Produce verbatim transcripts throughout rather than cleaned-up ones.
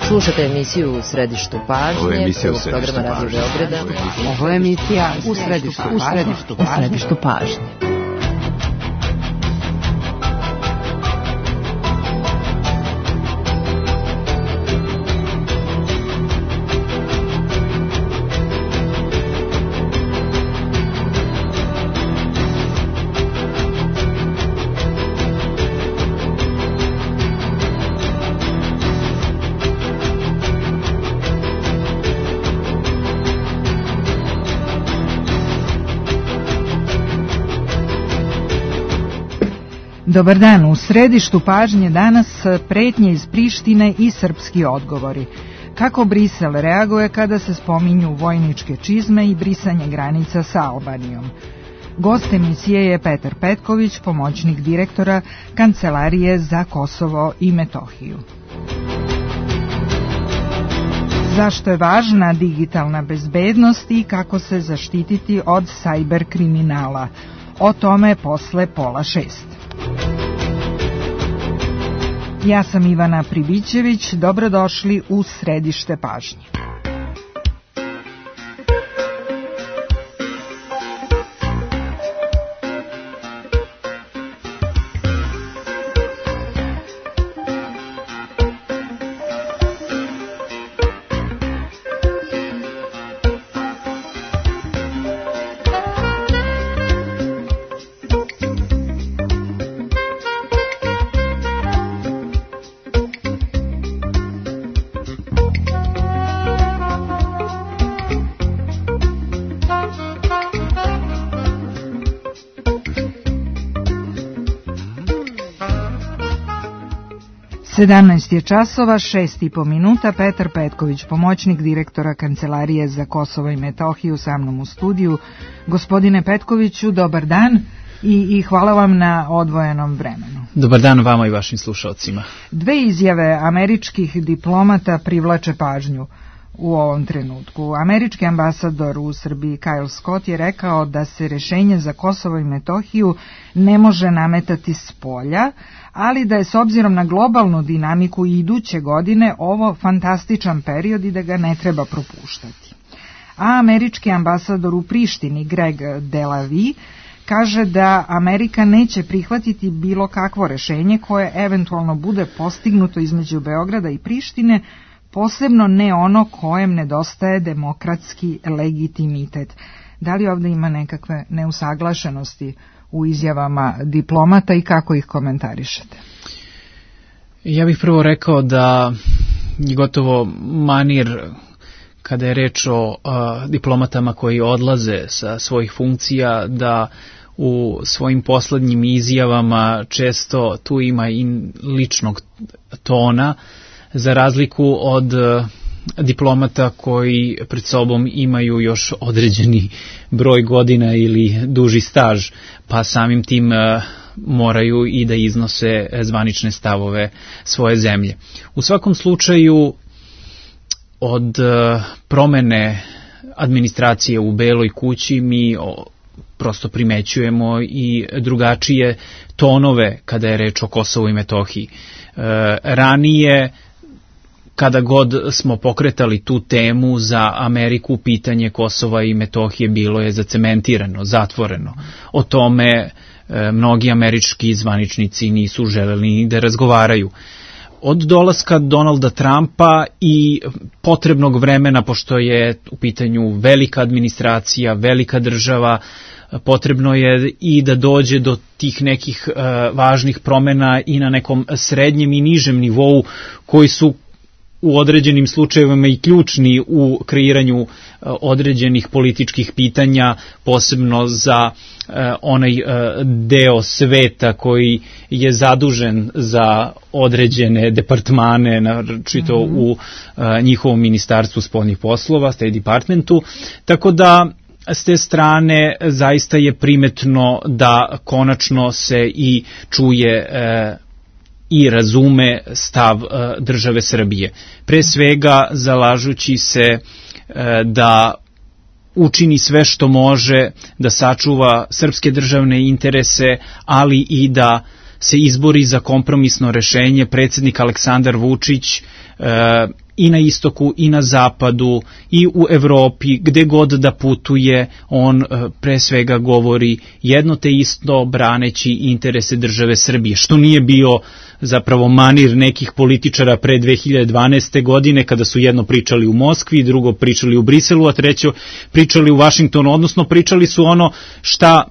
Slušate emisiju U središtu pažnje, prvog programa Radio Beograda. Ovo je emisija U središtu pažnje. Dobar dan, u središtu pažnje danas pretnje iz Prištine i srpski odgovori. Kako Brisel reaguje kada se spominju vojničke čizme i brisanje granica sa Albanijom? Gost emisije je Petar Petković, pomoćnik direktora Kancelarije za Kosovo i Metohiju. Zašto je važna digitalna bezbednost i kako se zaštititi od sajber kriminala? O tome posle pola šest. Ja sam Ivana Pribićević, dobrodošli u središte pažnje. sedamnaest je časova, šest i po minuta. Petar Petković, pomoćnik direktora Kancelarije za Kosovo i Metohiju, sa mnom u studiju. Gospodine Petkoviću, dobar dan i, i hvala vam na odvojenom vremenu. Dobar dan vama i vašim slušalcima. Dve izjave američkih diplomata privlače pažnju u ovom trenutku. Američki ambasador u Srbiji Kyle Scott je rekao da se rešenje za Kosovo i Metohiju ne može nametati s polja, ali da je s obzirom na globalnu dinamiku i iduće godine ovo fantastičan period i da ga ne treba propuštati. A američki ambasador u Prištini Greg Delavi kaže da Amerika neće prihvatiti bilo kakvo rešenje koje eventualno bude postignuto između Beograda i Prištine, posebno ne ono kojem nedostaje demokratski legitimitet. Da li ovdje ima nekakve neusaglašenosti u izjavama diplomata i kako ih komentarišete? Ja bih prvo rekao da je gotovo manir kada je reč o uh, diplomatama koji odlaze sa svojih funkcija, da u svojim poslednjim izjavama često tu ima i ličnog tona, za razliku od uh, diplomata koji pred sobom imaju još određeni broj godina ili duži staž, pa samim tim uh, moraju i da iznose zvanične stavove svoje zemlje. U svakom slučaju, od uh, promene administracije u Beloj kući mi o, prosto primećujemo i drugačije tonove kada je reč o Kosovu i Metohiji. Uh, ranije, kada god smo pokretali tu temu za Ameriku, pitanje Kosova i Metohije bilo je zacementirano, zatvoreno. O tome e, mnogi američki zvaničnici nisu želeli ni da razgovaraju. Od dolaska Donalda Trumpa i potrebnog vremena, pošto je u pitanju velika administracija, velika država, potrebno je i da dođe do tih nekih e, važnih promena i na nekom srednjem i nižem nivou koji su u određenim slučajevima i ključni u kreiranju uh, određenih političkih pitanja, posebno za uh, onaj uh, deo sveta koji je zadužen za određene departmane, naročito mm-hmm. u uh, njihovom ministarstvu spoljnih poslova, State Departmentu, tako da s te strane zaista je primetno da konačno se i čuje uh, i razume stav uh, države Srbije. Pre svega zalažući se uh, da učini sve što može da sačuva srpske državne interese, ali i da se izbori za kompromisno rešenje predsjednik Aleksandar Vučić e, i na istoku i na zapadu i u Evropi, gde god da putuje, on pre svega govori jedno te isto braneći interese države Srbije, što nije bio zapravo manir nekih političara pre dve hiljade dvanaeste. godine, kada su jedno pričali u Moskvi, drugo pričali u Briselu, a treće pričali u Vašingtonu, odnosno pričali su ono šta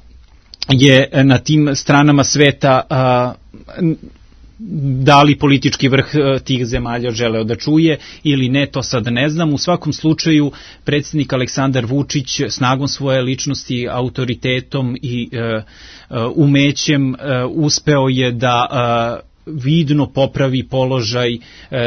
je na tim stranama sveta a, da li politički vrh tih zemalja želeo da čuje ili ne, to sad ne znam. U svakom slučaju, predsjednik Aleksandar Vučić snagom svoje ličnosti, autoritetom i e, umećem e, uspeo je da e, vidno popravi položaj e,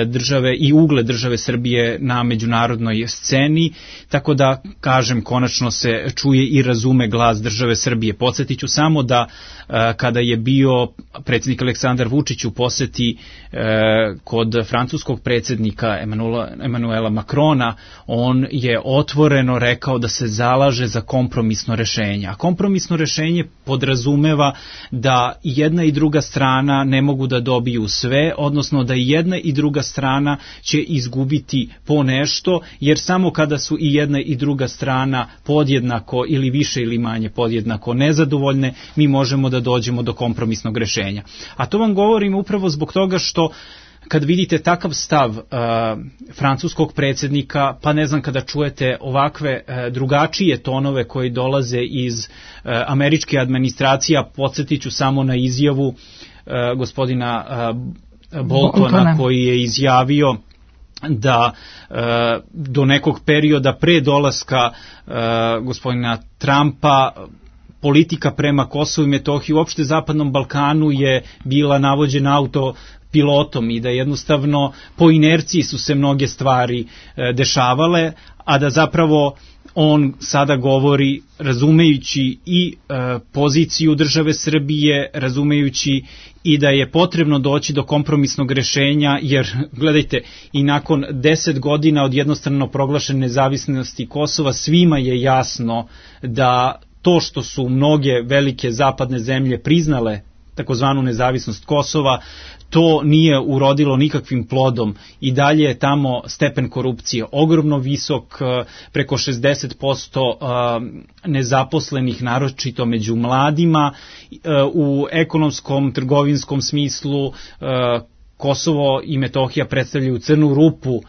države i ugled države Srbije na međunarodnoj sceni, tako da, kažem, konačno se čuje i razume glas države Srbije. Podsjetit ću samo da e, kada je bio predsjednik Aleksandar Vučić u poseti e, kod francuskog predsjednika Emanuela Macrona, on je otvoreno rekao da se zalaže za kompromisno rešenje. A kompromisno rešenje podrazumeva da jedna i druga strana ne mogu da dobiju sve, odnosno da i jedna i druga strana će izgubiti po nešto, jer samo kada su i jedna i druga strana podjednako ili više ili manje podjednako nezadovoljne, mi možemo da dođemo do kompromisnog rešenja. A to vam govorim upravo zbog toga što kad vidite takav stav uh, francuskog predsjednika, pa ne znam, kada čujete ovakve uh, drugačije tonove koji dolaze iz uh, američke administracije, podsjetit ću samo na izjavu uh, gospodina uh, Boltona, Boltona koji je izjavio da uh, do nekog perioda pre dolaska uh, gospodina Trumpa politika prema Kosovu i Metohiji, uopšte Zapadnom Balkanu, je bila navođena auto pilotom i da jednostavno po inerciji su se mnoge stvari e, dešavale, a da zapravo on sada govori razumejući i e, poziciju države Srbije, razumejući i da je potrebno doći do kompromisnog rešenja, jer gledajte, i nakon deset godina od jednostrano proglašene nezavisnosti Kosova svima je jasno da to što su mnoge velike zapadne zemlje priznale takozvanu nezavisnost Kosova, to nije urodilo nikakvim plodom i dalje je tamo stepen korupcije ogromno visok, preko šezdeset posto nezaposlenih, naročito među mladima. U ekonomskom, trgovinskom smislu Kosovo i Metohija predstavljaju crnu rupu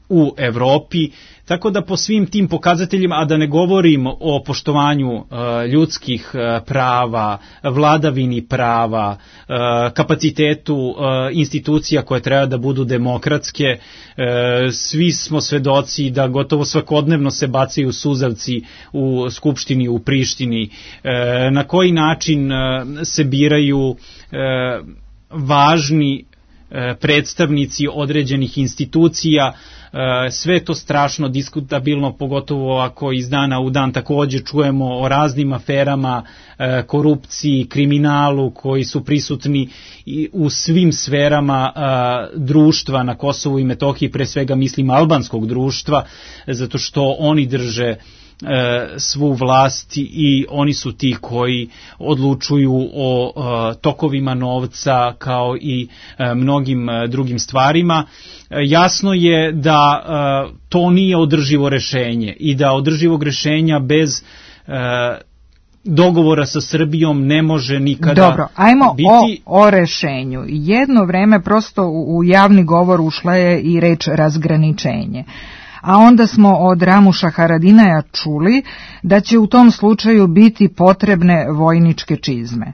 u Evropi, tako da po svim tim pokazateljima, a da ne govorim o poštovanju uh, ljudskih uh, prava, vladavini prava, uh, kapacitetu uh, institucija koje treba da budu demokratske, uh, svi smo svedoci da gotovo svakodnevno se bacaju suzavci u Skupštini, u Prištini, uh, na koji način uh, se biraju uh, važni predstavnici određenih institucija, sve to strašno diskutabilno, pogotovo ako iz dana u dan također čujemo o raznim aferama, korupciji, kriminalu koji su prisutni u svim sferama društva na Kosovu i Metohiji, pre svega mislim albanskog društva, zato što oni drže svu vlast i oni su ti koji odlučuju o tokovima novca kao i mnogim drugim stvarima. Jasno je da to nije održivo rešenje i da održivog rešenja bez dogovora sa Srbijom ne može nikada Dobro, ajmo biti... o, o rešenju. Jedno vreme prosto u, u javni govor ušla je i reč razgraničenje. A onda smo od Ramuša Haradinaja čuli da će u tom slučaju biti potrebne vojničke čizme.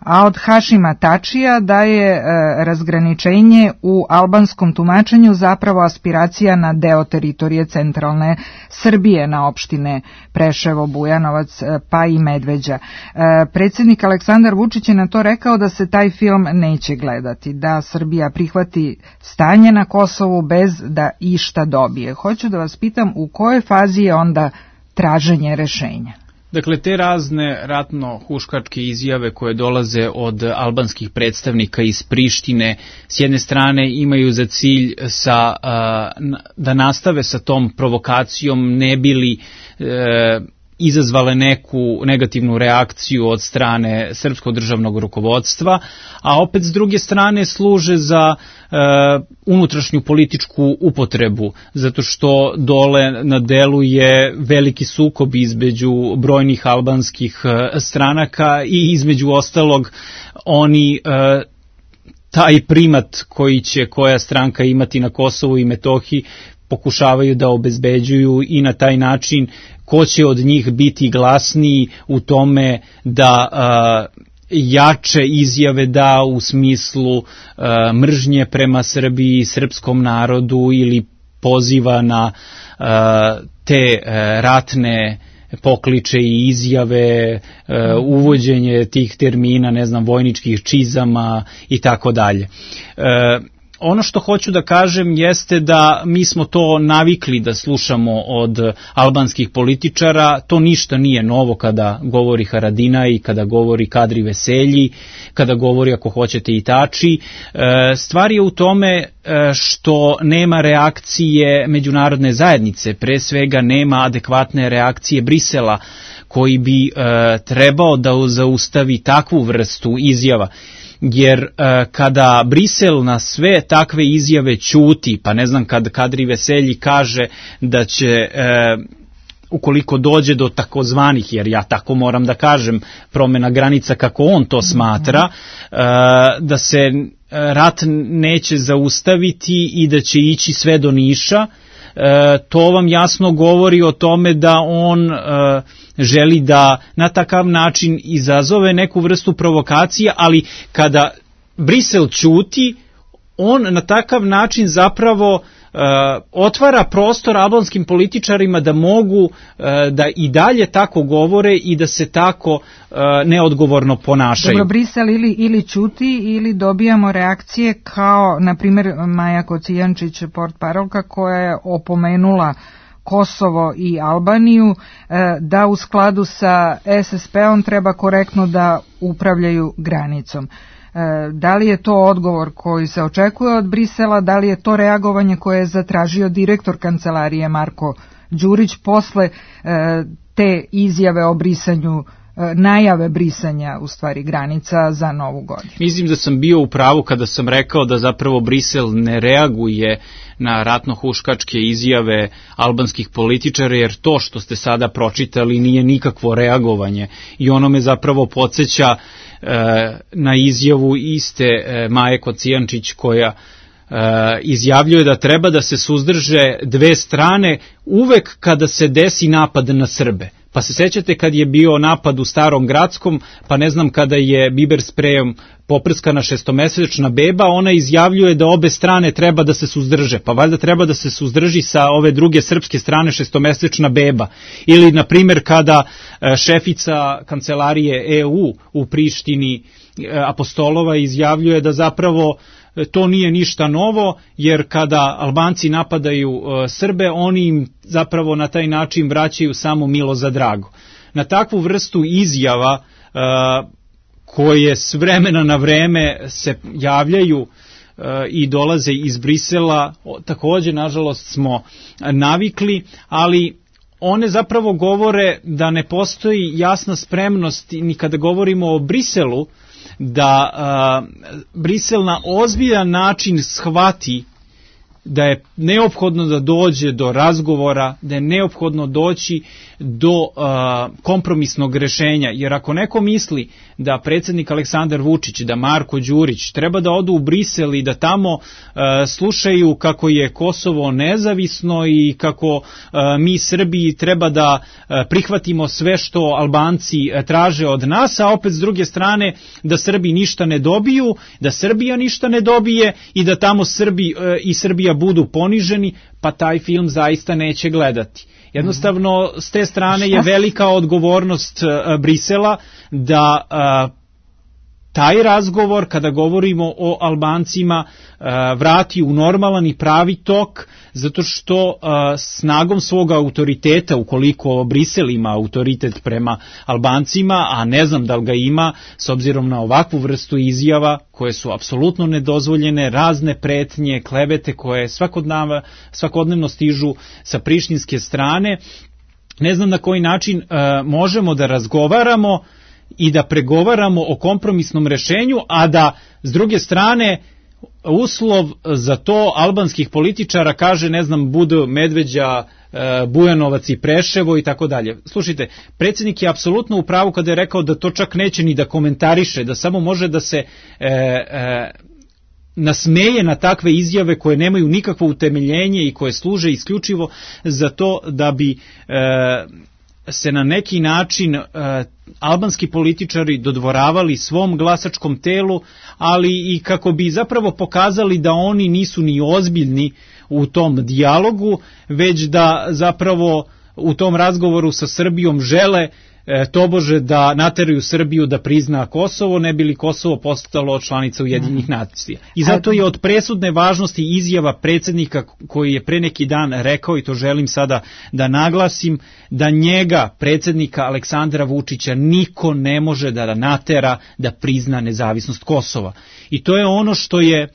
A od Hašima Tačija da je e, razgraničenje u albanskom tumačenju zapravo aspiracija na deo teritorije centralne Srbije, na opštine Preševo, Bujanovac e, pa i Medveđa. E, predsjednik Aleksandar Vučić je na to rekao da se taj film neće gledati, da Srbija prihvati stanje na Kosovu bez da išta dobije. Hoću da vas pitam u kojoj fazi je onda traženje rešenja? Dakle, te razne ratno-huškačke izjave koje dolaze od albanskih predstavnika iz Prištine, s jedne strane imaju za cilj sa, da nastave sa tom provokacijom, ne bili izazvale neku negativnu reakciju od strane srpskog državnog rukovodstva, a opet s druge strane služe za e, unutrašnju političku upotrebu, zato što dole na delu je veliki sukob između brojnih albanskih stranaka i između ostalog oni e, taj primat koji će koja stranka imati na Kosovu i Metohiji pokušavaju da obezbeđuju i na taj način ko će od njih biti glasniji u tome da a, jače izjave da u smislu a, mržnje prema Srbiji i srpskom narodu ili poziva na a, te a, ratne pokliče i izjave, a, uvođenje tih termina, ne znam, vojničkih čizama i tako dalje. Ono što hoću da kažem jeste da mi smo to navikli da slušamo od albanskih političara, to ništa nije novo kada govori Haradinaj, kada govori Kadri Veselji, kada govori, ako hoćete, i Tači. Stvar je u tome što nema reakcije međunarodne zajednice, pre svega nema adekvatne reakcije Brisela, koji bi trebao da zaustavi takvu vrstu izjava. Jer e, kada Brisel na sve takve izjave ćuti, pa ne znam kad Kadri Veselji kaže da će, e, ukoliko dođe do takozvanih, jer ja tako moram da kažem, promjena granica kako on to smatra, e, da se rat neće zaustaviti i da će ići sve do Niša, e, to vam jasno govori o tome da on e, želi da na takav način izazove neku vrstu provokacije, ali kada Brisel ćuti, on na takav način zapravo uh, otvara prostor albanskim političarima da mogu uh, da i dalje tako govore i da se tako uh, neodgovorno ponašaju. Dobro, Brisel ili, ili ćuti ili dobijamo reakcije kao, na primjer, Maja Kocijančić, portparolka, koja je opomenula Kosovo i Albaniju da u skladu sa S S P-om treba korektno da upravljaju granicom. Da li je to odgovor koji se očekuje od Brisela, da li je to reagovanje koje je zatražio direktor kancelarije Marko Đurić posle te izjave o brisanju, najave brisanja u stvari granica za Novu godinu? Mislim da sam bio u pravu kada sam rekao da zapravo Brisel ne reaguje na ratno-huškačke izjave albanskih političara, jer to što ste sada pročitali nije nikakvo reagovanje i ono me zapravo podsjeća e, na izjavu iste e, Maje Kocijančić koja e, izjavljuje da treba da se suzdrže dve strane uvek kada se desi napad na Srbe. Pa se sećate kad je bio napad u Starom Gradskom, pa ne znam kada je biber sprejom poprskana šestomesečna beba, ona izjavljuje da obe strane treba da se suzdrže. Pa valjda treba da se suzdrži sa ove druge srpske strane šestomesečna beba. Ili, na primjer, kada šefica kancelarije E U u Prištini, Apostolova, izjavljuje da zapravo to nije ništa novo, jer kada Albanci napadaju uh, Srbe, oni im zapravo na taj način vraćaju samo milo za drago. Na takvu vrstu izjava uh, koje s vremena na vreme se javljaju uh, i dolaze iz Brisela, također nažalost smo navikli, ali one zapravo govore da ne postoji jasna spremnost, ni kada govorimo o Briselu, da uh, Brisel na ozbiljan način shvati da je neophodno da dođe do razgovora, da je neophodno doći do uh, kompromisnog rešenja, jer ako neko misli da predsjednik Aleksandar Vučić, da Marko Đurić treba da odu u Brisel i da tamo uh, slušaju kako je Kosovo nezavisno i kako uh, mi Srbiji treba da uh, prihvatimo sve što Albanci uh, traže od nas, a opet s druge strane da Srbi ništa ne dobiju, da Srbija ništa ne dobije i da tamo Srbi uh, i Srbija budu poniženi, pa taj film zaista neće gledati. Jednostavno, s te strane je velika odgovornost uh, Brisela da uh, taj razgovor, kada govorimo o Albancima, uh, vrati u normalan i pravi tok, zato što uh, snagom svog autoriteta, ukoliko Brisel ima autoritet prema Albancima, a ne znam da li ga ima, s obzirom na ovakvu vrstu izjava, koje su apsolutno nedozvoljene, razne pretnje, klevete koje svakodnevno, svakodnevno stižu sa prištinske strane, ne znam na koji način uh, možemo da razgovaramo i da pregovaramo o kompromisnom rešenju, a da s druge strane uslov za to albanskih političara kaže, ne znam, budu Medveđa, Bujanovac i Preševo i tako dalje. Slušajte, predsjednik je apsolutno u pravu kada je rekao da to čak neće ni da komentariše, da samo može da se e, e, nasmeje na takve izjave koje nemaju nikakvo utemeljenje i koje služe isključivo za to da bi e, se na neki način e, albanski političari dodvoravali svom glasačkom telu, ali i kako bi zapravo pokazali da oni nisu ni ozbiljni u tom dijalogu, već da zapravo u tom razgovoru sa Srbijom žele e, tobože da nateraju Srbiju da prizna Kosovo, ne bi li Kosovo postalo članica Ujedinjenih nacija. I zato je od presudne važnosti izjava predsjednika koji je pre neki dan rekao, i to želim sada da naglasim, da njega, predsjednika Aleksandra Vučića, niko ne može da natera da prizna nezavisnost Kosova. I to je ono što je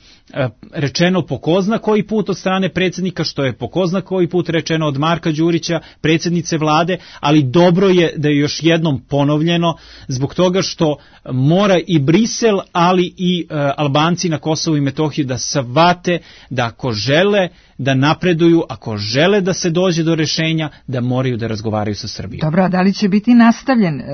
rečeno po ko zna koji put od strane predsjednika, što je po ko zna koji put rečeno od Marka Đurića, predsjednice vlade, ali dobro je da je još jednom ponovljeno zbog toga što mora i Brisel, ali i uh, Albanci na Kosovu i Metohiji da shvate da ako žele da napreduju, ako žele da se dođe do rešenja, da moraju da razgovaraju sa Srbijom. Dobro, a da li će biti nastavljen e,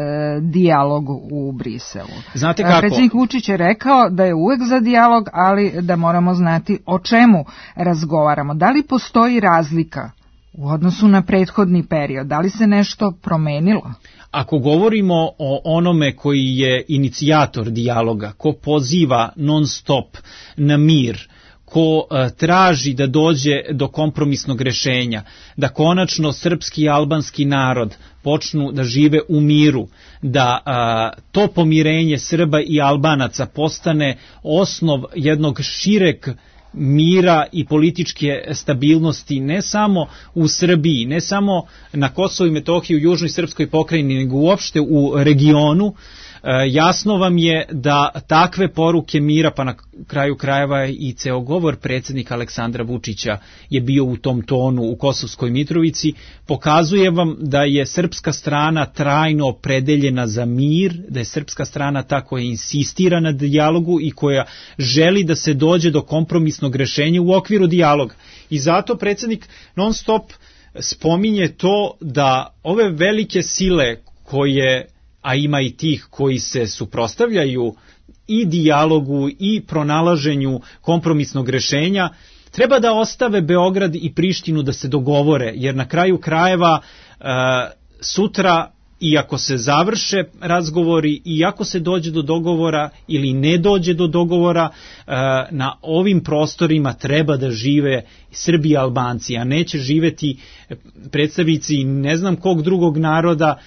dijalog u Briselu? Znate kako? Predsjednik Vučić je rekao da je uvek za dijalog, ali da moramo znati o čemu razgovaramo. Da li postoji razlika u odnosu na prethodni period? Da li se nešto promenilo? Ako govorimo o onome koji je inicijator dijaloga, ko poziva non stop na mir, ko uh, traži da dođe do kompromisnog rešenja, da konačno srpski i albanski narod počnu da žive u miru, da uh, to pomirenje Srba i Albanaca postane osnov jednog šireg mira i političke stabilnosti ne samo u Srbiji, ne samo na Kosovu i Metohiji, u južnoj srpskoj pokrajini, nego uopšte u regionu. Jasno vam je da takve poruke mira, pa na kraju krajeva i ceo govor predsjednika Aleksandra Vučića je bio u tom tonu u Kosovskoj Mitrovici, pokazuje vam da je srpska strana trajno opredeljena za mir, da je srpska strana ta koja insistira na dijalogu i koja želi da se dođe do kompromisnog rešenja u okviru dijaloga. I zato predsjednik non stop spominje to da ove velike sile koje, a ima i tih koji se suprotstavljaju i dijalogu i pronalaženju kompromisnog rešenja, treba da ostave Beograd i Prištinu da se dogovore, jer na kraju krajeva e, sutra, iako se završe razgovori, i ako se dođe do dogovora ili ne dođe do dogovora, e, na ovim prostorima treba da žive Srbi i Albanci, a neće živeti predstavnici ne znam kog drugog naroda,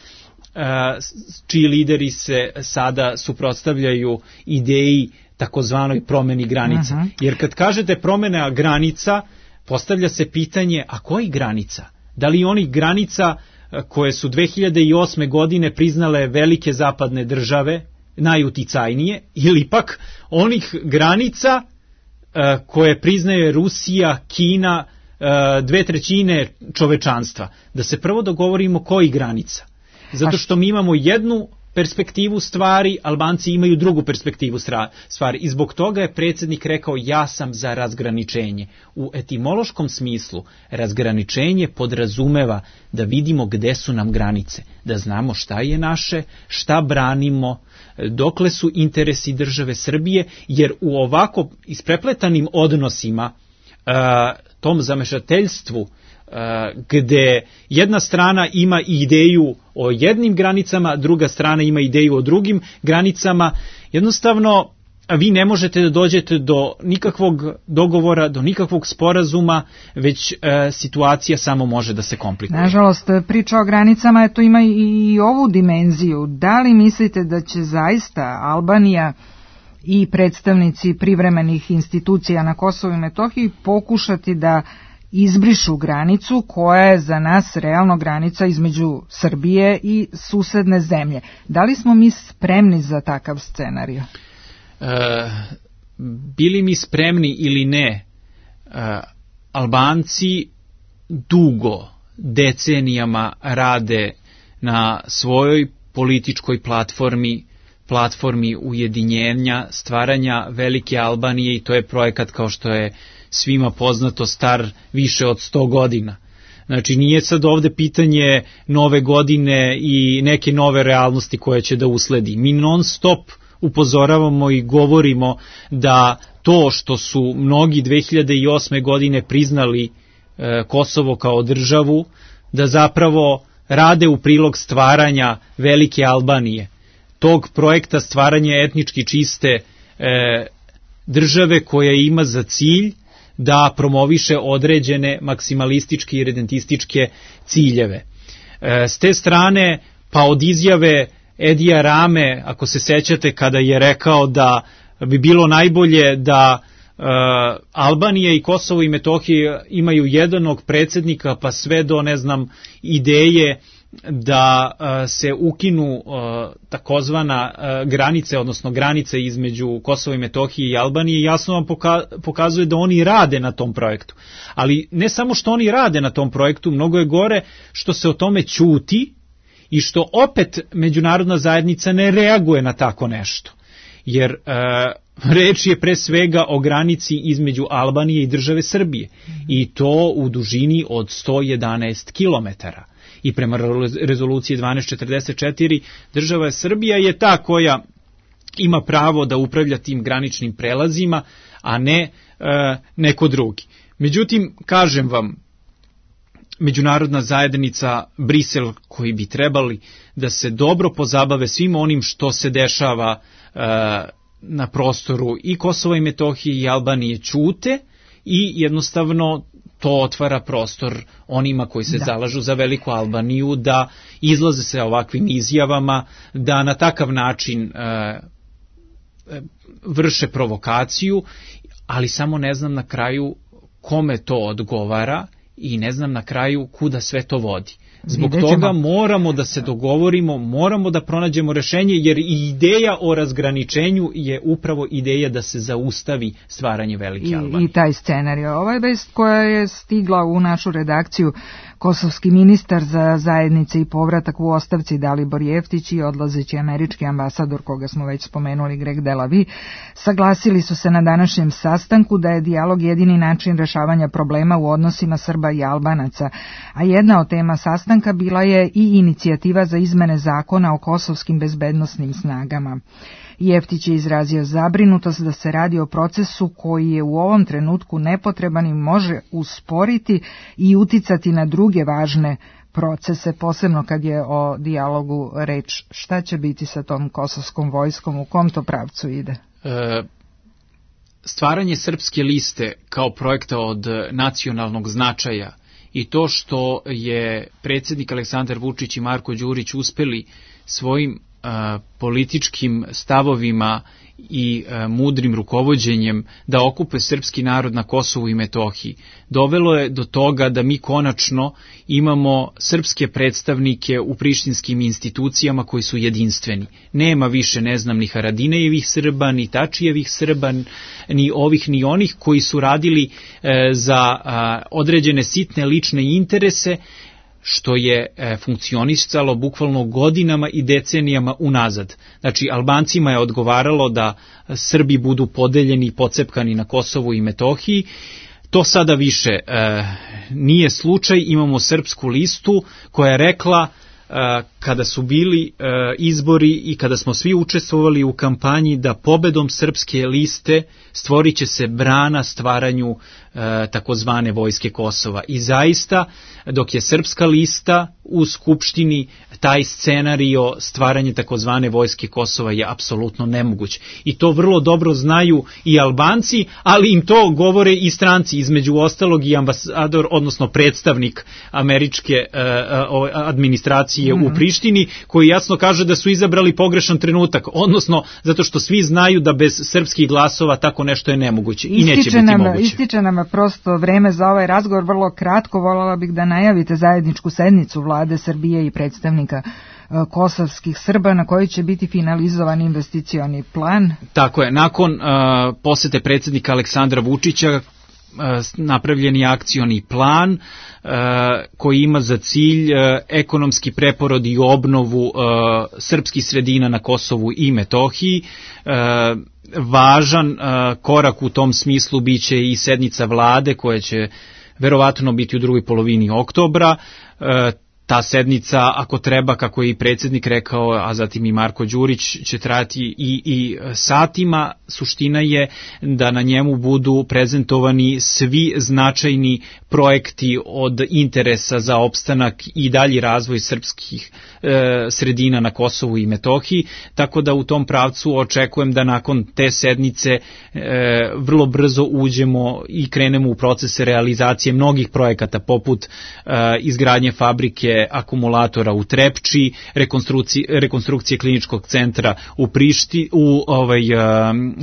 čiji lideri se sada suprotstavljaju ideji takozvanoj promeni granica. Uh-huh. Jer kad kažete promena granica, postavlja se pitanje, a koji granica? Da li onih granica koje su dve hiljade osme godine priznale velike zapadne države, najuticajnije, ili pak onih granica koje priznaje Rusija, Kina, dve trećine čovečanstva? Da se prvo dogovorimo koji granica. Zato što mi imamo jednu perspektivu stvari, Albanci imaju drugu perspektivu stvari. I zbog toga je predsjednik rekao, ja sam za razgraničenje. U etimološkom smislu razgraničenje podrazumeva da vidimo gde su nam granice, da znamo šta je naše, šta branimo, dokle su interesi države Srbije, jer u ovako isprepletanim odnosima, tom zamešateljstvu, gde jedna strana ima ideju o jednim granicama, druga strana ima ideju o drugim granicama, jednostavno vi ne možete da dođete do nikakvog dogovora, do nikakvog sporazuma, već e, situacija samo može da se komplikuje. Nažalost, priča o granicama to ima i ovu dimenziju. Da li mislite da će zaista Albanija i predstavnici privremenih institucija na Kosovu i Metohiji pokušati da izbrišu granicu koja je za nas realno granica između Srbije i susedne zemlje? Da li smo mi spremni za takav scenarij? E, bili mi spremni ili ne, e, Albanci dugo, decenijama rade na svojoj političkoj platformi, platformi ujedinjenja, stvaranja velike Albanije, i to je projekat, kao što je svima poznato, star više od sto godina. Znači, nije sad ovde pitanje nove godine i neke nove realnosti koje će da usledi. Mi non stop upozoravamo i govorimo da to što su mnogi dve hiljade osme godine priznali e, Kosovo kao državu, da zapravo rade u prilog stvaranja velike Albanije, tog projekta stvaranja etnički čiste e, države koja ima za cilj da promoviše određene maksimalističke i redentističke ciljeve. E, s te strane, pa od izjave Edija Rame, ako se sećate, kada je rekao da bi bilo najbolje da e, Albanija i Kosovo i Metohija imaju jednog predsjednika, pa sve do, ne znam, ideje da uh, se ukinu uh, takozvana uh, granice, odnosno granice između Kosova i Metohije i Albanije, jasno vam poka- pokazuje da oni rade na tom projektu. Ali ne samo što oni rade na tom projektu, mnogo je gore što se o tome ćuti i što opet međunarodna zajednica ne reaguje na tako nešto. Jer uh, reč je pre svega o granici između Albanije i države Srbije, i to u dužini od sto jedanaest kilometara. I prema rezoluciji dvanaest četrdeset četiri država Srbija je ta koja ima pravo da upravlja tim graničnim prelazima, a ne e, neko drugi. Međutim, kažem vam, međunarodna zajednica, Brisel, koji bi trebali da se dobro pozabave svim onim što se dešava e, na prostoru i Kosova i Metohije i Albanije, ćute i jednostavno to otvara prostor onima koji se da. zalažu za veliku Albaniju da izlaze se ovakvim izjavama, da na takav način e, vrše provokaciju, ali samo ne znam na kraju kome to odgovara i ne znam na kraju kuda sve to vodi. Zbog toga moramo da se dogovorimo, moramo da pronađemo rešenje, jer i ideja o razgraničenju je upravo ideja da se zaustavi stvaranje velike Albanije. I, i taj scenarij. Ova je vest koja je stigla u našu redakciju. Kosovski ministar za zajednice i povratak u ostavci Dalibor Jeftić i odlazeći američki ambasador, koga smo već spomenuli, Greg Delavi, saglasili su se na današnjem sastanku da je dijalog jedini način rešavanja problema u odnosima Srba i Albanaca, a jedna od tema sastanka bila je i inicijativa za izmene zakona o kosovskim bezbednosnim snagama. Jeftić je izrazio zabrinutost da se radi o procesu koji je u ovom trenutku nepotreban i može usporiti i uticati na druge važne procese, posebno kad je o dijalogu reč. Šta će biti sa tom kosovskom vojskom, u kom to pravcu ide? E, stvaranje Srpske liste kao projekta od nacionalnog značaja i to što je predsjednik Aleksandar Vučić i Marko Đurić uspeli svojim političkim stavovima i e, mudrim rukovođenjem da okupe srpski narod na Kosovu i Metohiji, dovelo je do toga da mi konačno imamo srpske predstavnike u prištinskim institucijama koji su jedinstveni. Nema više, ne znam, ni Haradinejevih Srba, ni Tačijevih Srba, ni ovih, ni onih koji su radili e, za a, određene sitne lične interese, što je e, funkcionisalo bukvalno godinama i decenijama unazad. Znači, Albancima je odgovaralo da Srbi budu podeljeni i pocepkani na Kosovu i Metohiji. To sada više e, nije slučaj. Imamo Srpsku listu koja je rekla, e, kada su bili e, izbori i kada smo svi učestvovali u kampanji, da pobedom Srpske liste stvorit će se brana stvaranju e, takozvane vojske Kosova. I zaista, dok je Srpska lista u Skupštini, taj scenario stvaranje takozvane vojske Kosova je apsolutno nemoguć. I to vrlo dobro znaju i Albanci, ali im to govore i stranci, između ostalog i ambasador, odnosno predstavnik američke uh, administracije mm-hmm. u Prištini, koji jasno kaže da su izabrali pogrešan trenutak, odnosno zato što svi znaju da bez srpskih glasova tako nešto je nemoguće i neće biti nam, moguće. Ističe nam prosto vreme za ovaj razgovor, vrlo kratko. Voljela bih da najavite zajedničku sednicu vlade Srbije i predstavnika kosovskih Srba na kojoj će biti finalizovan investicioni plan. Tako je, nakon uh, posete predsjednika Aleksandra Vučića, napravljeni akcioni plan koji ima za cilj ekonomski preporod i obnovu srpskih sredina na Kosovu i Metohiji. Važan korak u tom smislu biće i sednica vlade koja će verovatno biti u drugoj polovini oktobra. Ta sednica, ako treba, kako je i predsjednik rekao, a zatim i Marko Đurić, će trajati i, i satima. Suština je da na njemu budu prezentovani svi značajni projekti od interesa za opstanak i dalji razvoj srpskih e, sredina na Kosovu i Metohiji, tako da u tom pravcu očekujem da nakon te sednice e, vrlo brzo uđemo i krenemo u procese realizacije mnogih projekata poput e, izgradnje fabrike akumulatora u Trepči, rekonstrukcije, rekonstrukcije kliničkog centra u Prišti, u ovaj,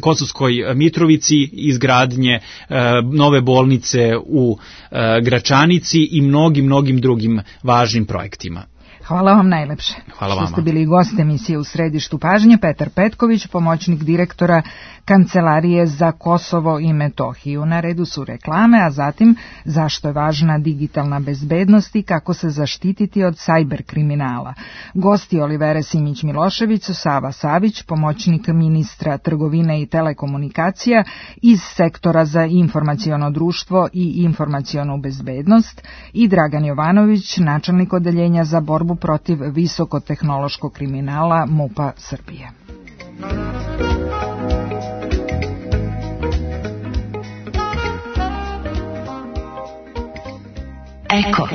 Kosovskoj Mitrovici, izgradnje nove bolnice u Gračanici i mnogim, mnogim drugim važnim projektima. Hvala vam najlepše. Hvala vama. Što ste bili gost emisije U središtu pažnje. Petar Petković, pomoćnik direktora Kancelarije za Kosovo i Metohiju. Na redu su reklame, a zatim zašto je važna digitalna bezbednost i kako se zaštititi od sajber kriminala. Gosti Olivera Simić-Milošević su Sava Savić, pomoćnik ministra trgovine i telekomunikacija iz sektora za informaciono društvo i informacionu bezbednost, i Dragan Jovanović, načelnik odeljenja za borbu protiv visokotehnološkog kriminala MUP-a Srbije. Eko.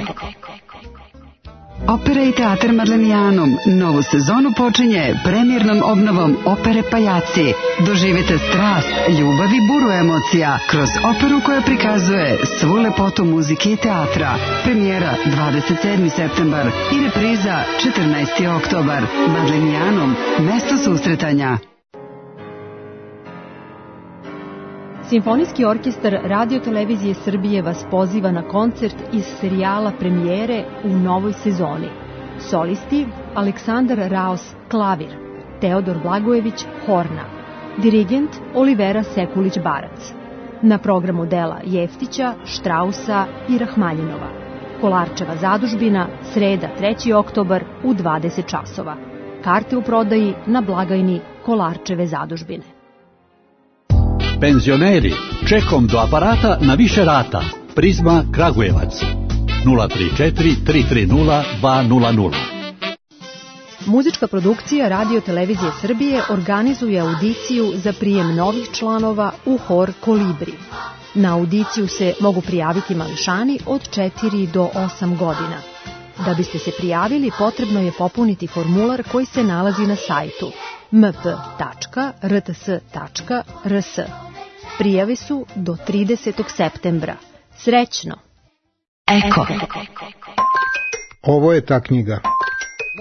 Opera i teatar Marlenijanum novu sezonu počinje premijernom obnovom opere Pajaci. Doživite strast, ljubav i buru emocija kroz operu koja prikazuje svu lepotu muzike i teatra. Premijera dvadeset sedmi septembar i repriza četrnaesti oktobar. Marlenijanum, mesto susretanja. Simfonijski orkestar Radio-televizije Srbije vas poziva na koncert iz serijala Premijere u novoj sezoni. Solisti Aleksandar Raos klavir, Teodor Blagojević horna, dirigent Olivera Sekulić-Barac. Na programu dela Jeftića, Štrausa i Rahmanjinova. Kolarčeva zadužbina, sreda treći oktobar u dvadeset časova. Karte u prodaji na blagajni Kolarčeve zadužbine. Penzioneri, čekom do aparata na više rata. Prizma Kragujevac. nula tri četiri tri tri nula dva nula nula. Muzička produkcija Radio-televizije Srbije organizuje audiciju za prijem novih članova u hor Kolibri. Na audiciju se mogu prijaviti mališani od četiri do osam godina. Da biste se prijavili, potrebno je popuniti formular koji se nalazi na sajtu m p tačka r t s tačka r s. Prijave su do tridesetog septembra. Srećno! Eko. Ovo je ta knjiga.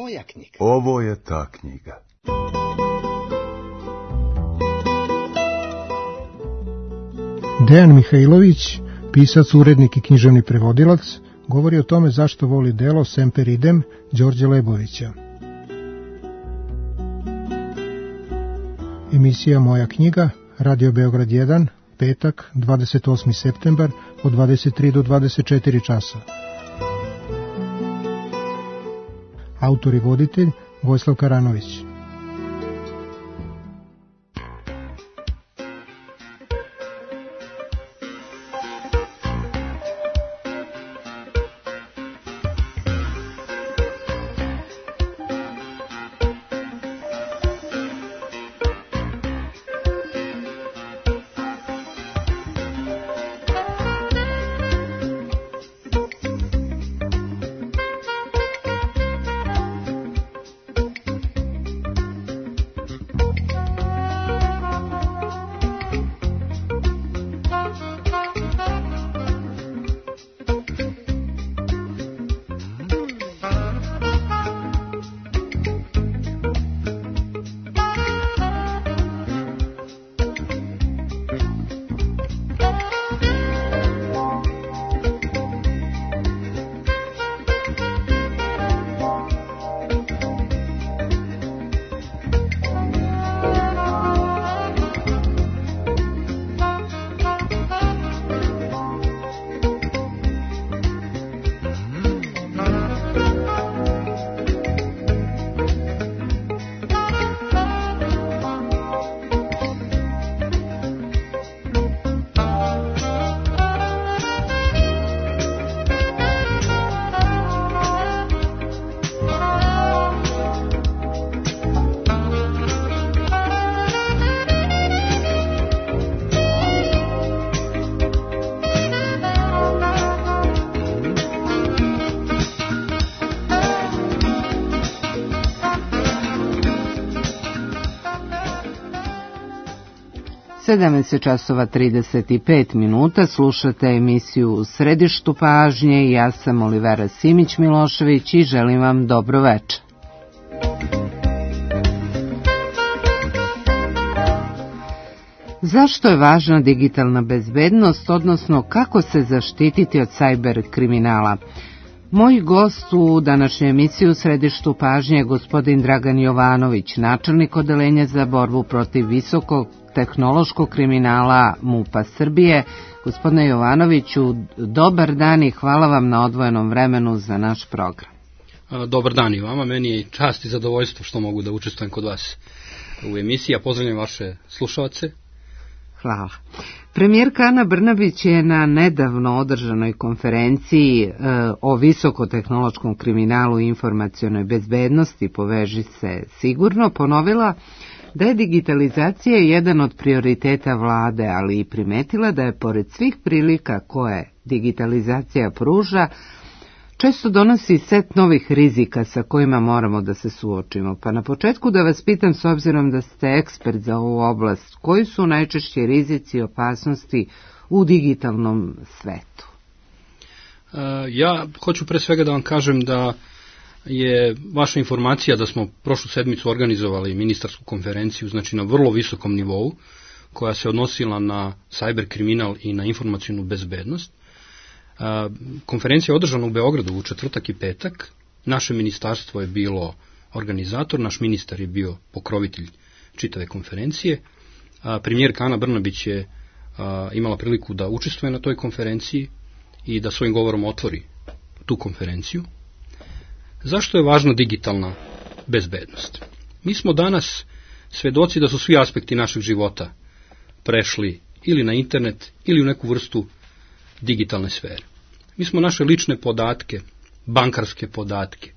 Moja knjiga. Ovo je ta knjiga. Dejan Mihajlović, pisac, urednik i književni prevodilac, govori o tome zašto voli delo Semper idem Đorđe Lebovića. Emisija Moja knjiga, Radio Beograd jedan, petak, dvadeset osmi septembar, od dvadeset tri do dvadeset četiri časa. Autor i voditelj Vojislav Karanović. sedamnaest časova trideset pet minuta, slušate emisiju U središtu pažnje i ja sam Olivera Simić-Milošević i želim vam dobro večer. Zašto je važna digitalna bezbednost, odnosno kako se zaštititi od sajber kriminala? Moj gost u današnjoj emisiji U središtu pažnje je gospodin Dragan Jovanović, načelnik odeljenja za borbu protiv visokog tehnološkog kriminala MUP-a Srbije. Gospodine Jovanoviću, dobar dan i hvala vam na odvojenom vremenu za naš program. Dobar dan i vama, meni je čast i zadovoljstvo što mogu da učestvujem kod vas u emisiji, a pozdravljam vaše slušalce. Hvala. Premijerka Ana Brnabić je na nedavno održanoj konferenciji e, o visokotehnološkom kriminalu i informacionoj bezbednosti Poveži se sigurno ponovila da je digitalizacija jedan od prioriteta vlade, ali i primetila da je pored svih prilika koje digitalizacija pruža, često donosi set novih rizika sa kojima moramo da se suočimo. Pa na početku da vas pitam, s obzirom da ste ekspert za ovu oblast, koji su najčešći rizici i opasnosti u digitalnom svetu? Ja hoću pre svega da vam kažem da je vaša informacija da smo prošlu sedmicu organizovali ministarsku konferenciju, znači na vrlo visokom nivou, koja se odnosila na cyber kriminal i na informacijnu bezbednost. Konferencija je održana u Beogradu u četvrtak i petak. Naše ministarstvo je bilo organizator, naš ministar je bio pokrovitelj čitave konferencije. Premijerka Ana Brnabić je imala priliku da učestvuje na toj konferenciji i da svojim govorom otvori tu konferenciju. Zašto je važna digitalna bezbednost? Mi smo danas svedoci da su svi aspekti našeg života prešli ili na internet ili u neku vrstu digitalne sfere. Mi smo naše lične podatke, bankarske podatke,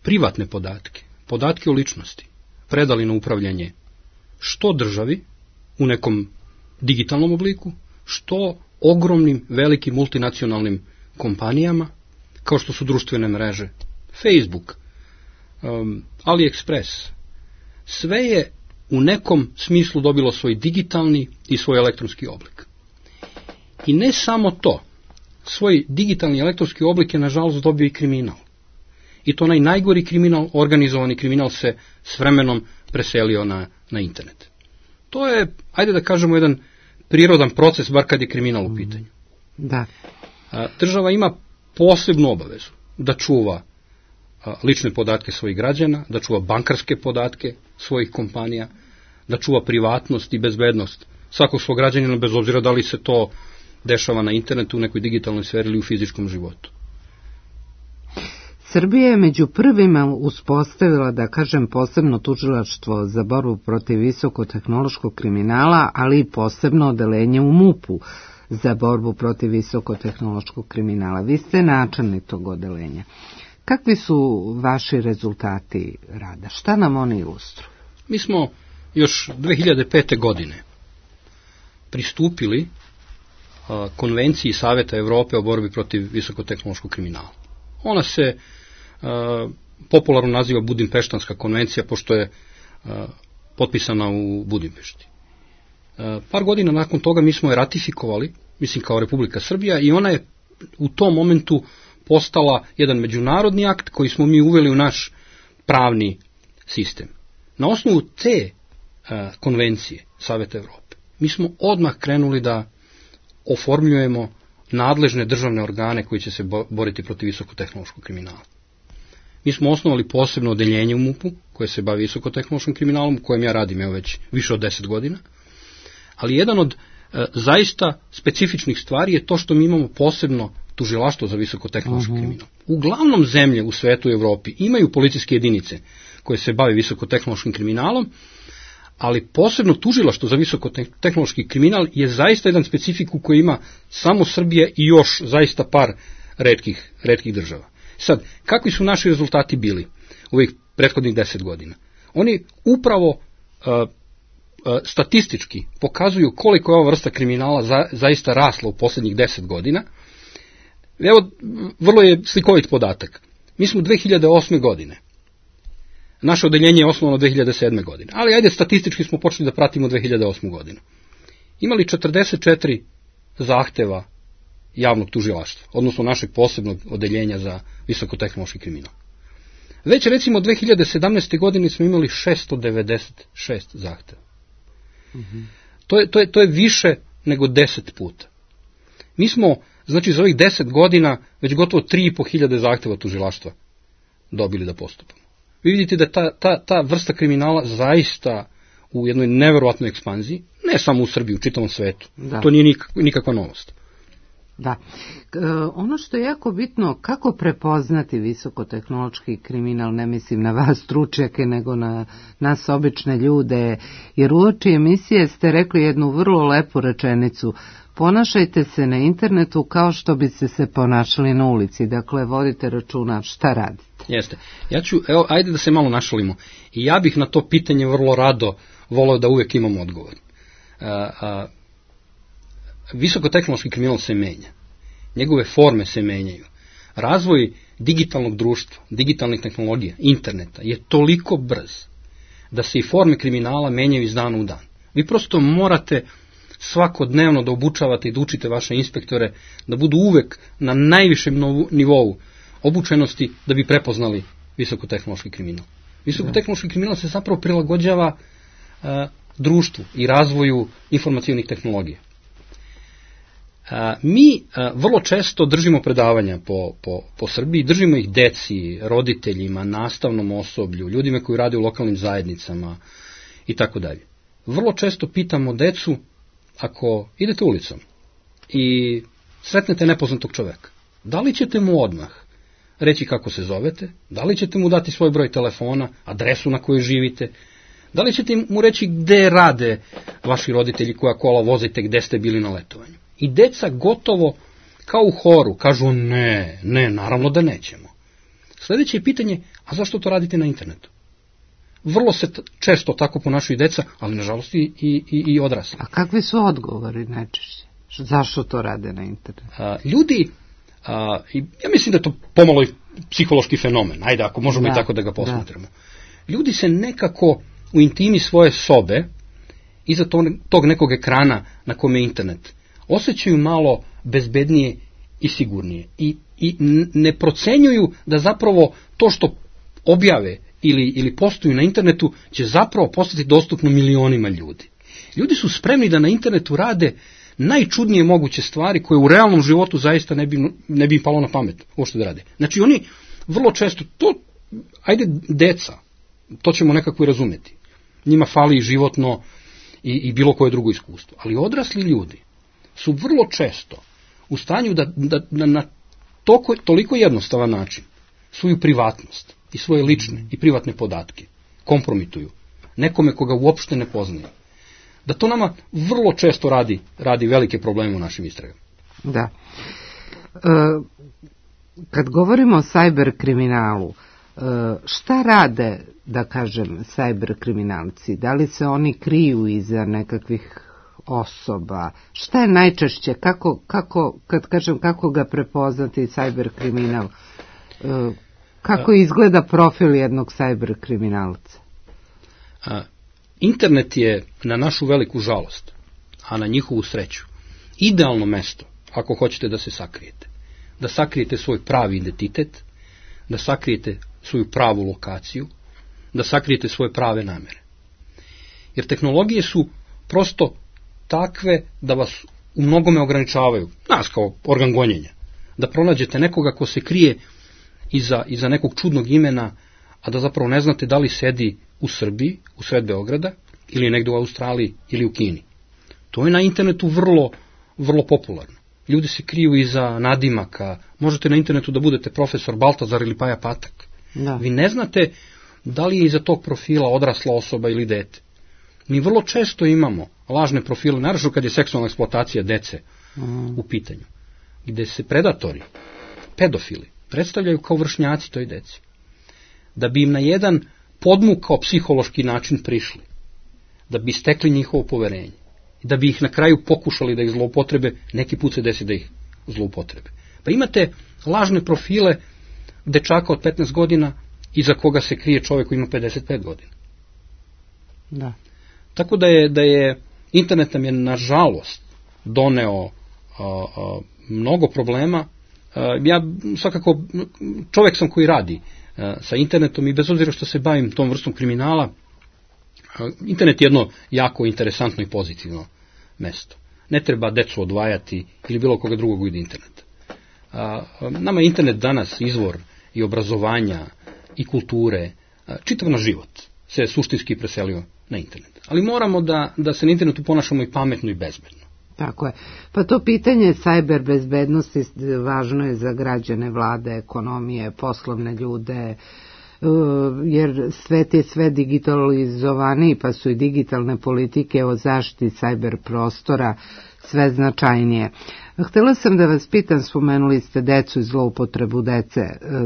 privatne podatke, podatke o ličnosti predali na upravljanje što državi u nekom digitalnom obliku, što ogromnim, velikim multinacionalnim kompanijama, kao što su društvene mreže, Facebook, um, AliExpress. Sve je u nekom smislu dobilo svoj digitalni i svoj elektronski oblik. I ne samo to, svoj digitalni elektronski oblik je nažalost dobio i kriminal. I to onaj najgori kriminal, organizovani kriminal se s vremenom preselio na, na internet. To je, ajde da kažemo, jedan prirodan proces, bar kad je kriminal u pitanju. Da. Država ima posebnu obavezu da čuva lične podatke svojih građana, da čuva bankarske podatke svojih kompanija, da čuva privatnost i bezbednost svakog svog građanina, bez obzira da li se to dešava na internetu, u nekoj digitalnoj sferi ili u fizičkom životu. Srbija je među prvima uspostavila, da kažem, posebno tužilaštvo za borbu protiv visokotehnološkog kriminala, ali i posebno odeljenje u MUP-u za borbu protiv visokotehnološkog kriminala. Vi ste načelnik tog odeljenja. Kakvi su vaši rezultati rada? Šta nam oni ilustruju? Mi smo još dve hiljade pete. godine pristupili a, konvenciji Saveta Evrope o borbi protiv visokotehnološkog kriminala. Ona se a, popularno naziva Budimpeštanska konvencija, pošto je a, potpisana u Budimpešti. A, par godina nakon toga mi smo je ratifikovali, mislim kao Republika Srbija, i ona je u tom momentu postala jedan međunarodni akt koji smo mi uveli u naš pravni sistem. Na osnovu te a, konvencije Saveta Evrope mi smo odmah krenuli da oformljujemo nadležne državne organe koji će se boriti protiv visokotehnološkog kriminala. Mi smo osnovali posebno odeljenje u MUP-u koje se bavi visokotehnološkim kriminalom, u kojem ja radim evo već više od deset godina, ali jedan od e, zaista specifičnih stvari je to što mi imamo posebno tužilaštvo za visokotehnološki uh-huh. kriminal. Uglavnom zemlje u svetu i Evropi imaju policijske jedinice koje se bave visokotehnološkim kriminalom, ali posebno tužilaštvo za visokotehnološki kriminal je zaista jedan specifiku koji ima samo Srbija i još zaista par retkih, retkih država. Sad, kakvi su naši rezultati bili u ovih prethodnih deset godina? Oni upravo uh, uh, statistički pokazuju koliko je ova vrsta kriminala za, zaista rasla u posljednjih deset godina. Evo, vrlo je slikovit podatak. Mi smo dve hiljade osme. godine. Naše odeljenje je osnovano dve hiljade sedme. godine. Ali ajde, statistički smo počeli da pratimo dve hiljade osmu. godinu. imali četrdeset četiri zahteva javnog tužilaštva, odnosno našeg posebnog odeljenja za visokotehnološki kriminal. Već recimo dve hiljade sedamnaeste. godine smo imali šesto devedeset šest zahteva. Mm-hmm. To je, to je, to je više nego deset puta. Mi smo, znači, za ovih deset godina već gotovo tri i po hiljade zahteva tužilaštva dobili da postupamo. Vi vidite da ta, ta, ta vrsta kriminala zaista u jednoj neverovatnoj ekspanziji, ne samo u Srbiji, u čitavom svetu. Da. To nije nik, nikakva novost. Da. E, ono što je jako bitno, kako prepoznati visokotehnološki kriminal, ne mislim na vas stručnjake, nego na nas obične ljude, jer uoči emisije ste rekli jednu vrlo lepu rečenicu: ponašajte se na internetu kao što biste se ponašali na ulici, dakle vodite računa šta radite. Jeste. Ja ću, evo, ajde da se malo našalimo. I ja bih na to pitanje vrlo rado voleo da uvek imam odgovor. A, a, visokotehnološki kriminal se menja. Njegove forme se menjaju. Razvoj digitalnog društva, digitalnih tehnologija, interneta je toliko brz da se i forme kriminala menjaju iz dana u dan. Vi prosto morate svakodnevno da obučavate i da učite vaše inspektore da budu uvek na najvišem nivou obučenosti da bi prepoznali visokotehnološki kriminal. Visokotehnološki kriminal se zapravo prilagođava uh, društvu i razvoju informacionih tehnologija. Uh, mi uh, vrlo često držimo predavanja po, po, po Srbiji, držimo ih deci, roditeljima, nastavnom osoblju, ljudima koji rade u lokalnim zajednicama i tako dalje. Vrlo često pitamo decu, ako idete ulicom i sretnete nepoznatog čoveka, da li ćete mu odmah reći kako se zovete, da li ćete mu dati svoj broj telefona, adresu na kojoj živite, da li ćete mu reći gde rade vaši roditelji, koja kola vozite, gde ste bili na letovanju. I deca gotovo kao u horu kažu ne, ne, naravno da nećemo. Sljedeće je pitanje, a zašto to radite na internetu? Vrlo se t- često tako ponašaju deca, ali nažalost i, i, i odrasli. A kakvi su odgovori najčešće? Zašto to rade na internetu? A, ljudi, a, i ja mislim da je to pomalo i psihološki fenomen, ajde ako možemo da, i tako da ga posmatramo. Da. Ljudi se nekako u intimi svoje sobe, iza tog, tog nekog ekrana na kome je internet, osjećaju malo bezbednije i sigurnije. I, i ne procenjuju da zapravo to što objave ili, ili postuju na internetu će zapravo postati dostupno milionima ljudi. Ljudi su spremni da na internetu rade najčudnije moguće stvari koje u realnom životu zaista ne bi, ne bi im palo na pamet uopšte da rade. Znači oni vrlo često, to, ajde deca, to ćemo nekako i razumeti. Njima fali životno i, i bilo koje drugo iskustvo. Ali odrasli ljudi su vrlo često u stanju da, da, da na toko, toliko jednostavan način svoju privatnost i svoje lične i privatne podatke kompromituju nekome koga uopšte ne poznaje. Da to nama vrlo često radi, radi velike probleme u našim istragama. Da. E, kad govorimo o sajber kriminalu, e, šta rade, da kažem, sajber kriminalci? Da li se oni kriju iza nekakvih osoba? Šta je najčešće? Kako, kako, kad kažem kako ga prepoznati sajber kriminal? E, kako izgleda profil jednog sajber kriminalca? A, internet je, na našu veliku žalost, a na njihovu sreću, idealno mesto ako hoćete da se sakrijete. Da sakrijete svoj pravi identitet, da sakrijete svoju pravu lokaciju, da sakrijete svoje prave namere. Jer tehnologije su prosto takve da vas u mnogome ograničavaju, nas kao organ gonjenja, da pronađete nekoga ko se krije iza, iza nekog čudnog imena, a da zapravo ne znate da li sedi u Srbiji, u sred Beograda, ili negde u Australiji, ili u Kini. To je na internetu vrlo, vrlo popularno. Ljudi se kriju iza nadimaka, možete na internetu da budete profesor Baltazar ili Paja Patak. Da. Vi ne znate da li je iza tog profila odrasla osoba ili dete. Mi vrlo često imamo lažne profile, naravno kad je seksualna eksploatacija dece mm. u pitanju, gde se predatori, pedofili, predstavljaju kao vršnjaci toj deci. Da bi im na jedan podmukao psihološki način prišli, da bi stekli njihovo poverenje, da bi ih na kraju pokušali da ih zloupotrebe, neki put se desi da ih zloupotrebe. Pa imate lažne profile dečaka od petnaest godina iza koga se krije čovjek koji ima pedeset pet godina. Da. Tako da je, da je Internet nam je, nažalost, doneo a, a, mnogo problema. A, ja svakako, čovjek sam koji radi a, sa internetom i bez obzira što se bavim tom vrstom kriminala, a, internet je jedno jako interesantno i pozitivno mesto. Ne treba decu odvajati ili bilo koga drugog od interneta. A, nama je internet danas izvor i obrazovanja i kulture, a, čitav naš život se suštinski preselio na internet. Ali moramo da, da se na internetu ponašamo i pametno i bezbedno. Tako je. Pa to pitanje sajber bezbednosti važno je za građane, vlade, ekonomije, poslovne ljude, jer svet je sve digitalizovaniji, pa su i digitalne politike o zaštiti sajber prostora sve značajnije. Htjela sam da vas pitam, spomenuli ste decu i zloupotrebu dece.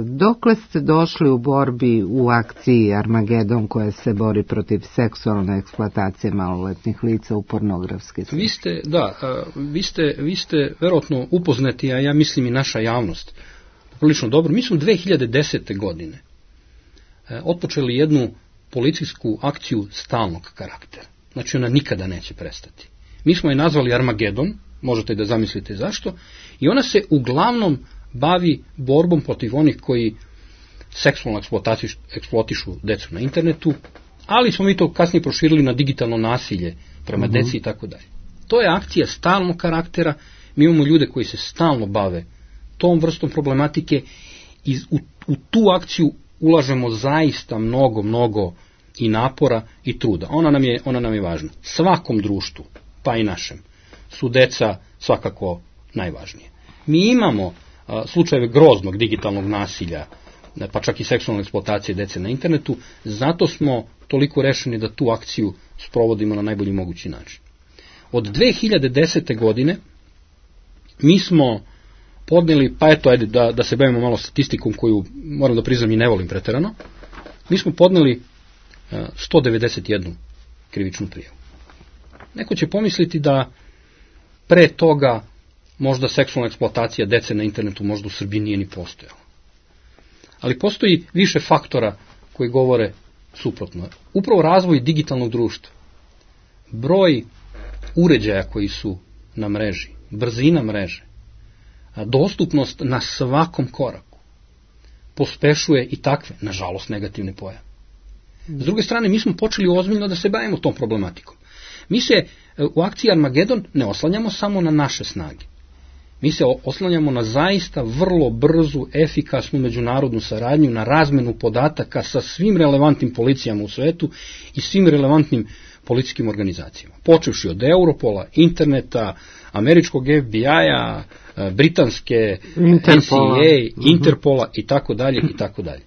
Dokle ste došli u borbi u akciji Armagedon koja se bori protiv seksualne eksploatacije maloletnih lica u pornografske slike? Vi ste, da, vi ste, vi ste verovatno upoznati, a ja mislim i naša javnost, prilično dobro. Mi smo dve hiljade desete. godine otpočeli jednu policijsku akciju stalnog karaktera. Znači ona nikada neće prestati. Mi smo je nazvali Armagedon, možete da zamislite zašto, i ona se uglavnom bavi borbom protiv onih koji seksualno eksploatišu decu na internetu, ali smo mi to kasnije proširili na digitalno nasilje prema uh-huh. deci i tako dalje. To je akcija stalnog karaktera, mi imamo ljude koji se stalno bave tom vrstom problematike i u, u tu akciju ulažemo zaista mnogo, mnogo i napora i truda. Ona nam je, ona nam je važna. Svakom društvu, pa i našem, su deca svakako najvažnije. Mi imamo a, slučajeve groznog digitalnog nasilja, pa čak i seksualne eksploatacije dece na internetu, zato smo toliko rešeni da tu akciju sprovodimo na najbolji mogući način. Od dve hiljade desete. godine mi smo podneli, pa eto, ajde da, da se bavimo malo statistikom koju, moram da priznam, i ne volim preterano, mi smo podneli a, sto devedeset jednu krivičnu prijavu. Neko će pomisliti da pre toga možda seksualna eksploatacija dece na internetu možda u Srbiji nije ni postojala. Ali postoji više faktora koji govore suprotno. Upravo razvoj digitalnog društva, broj uređaja koji su na mreži, brzina mreže, dostupnost na svakom koraku pospešuje i takve, nažalost, negativne pojave. S druge strane, mi smo počeli ozbiljno da se bavimo tom problematikom. Mi se u akciji Armagedon ne oslanjamo samo na naše snage. Mi se oslanjamo na zaista vrlo brzu, efikasnu međunarodnu saradnju, na razmenu podataka sa svim relevantnim policijama u svetu i svim relevantnim policijskim organizacijama. Počevši od Europola, interneta, američkog F B I-a, britanske Interpola. N C A A, Interpola i tako dalje i tako dalje.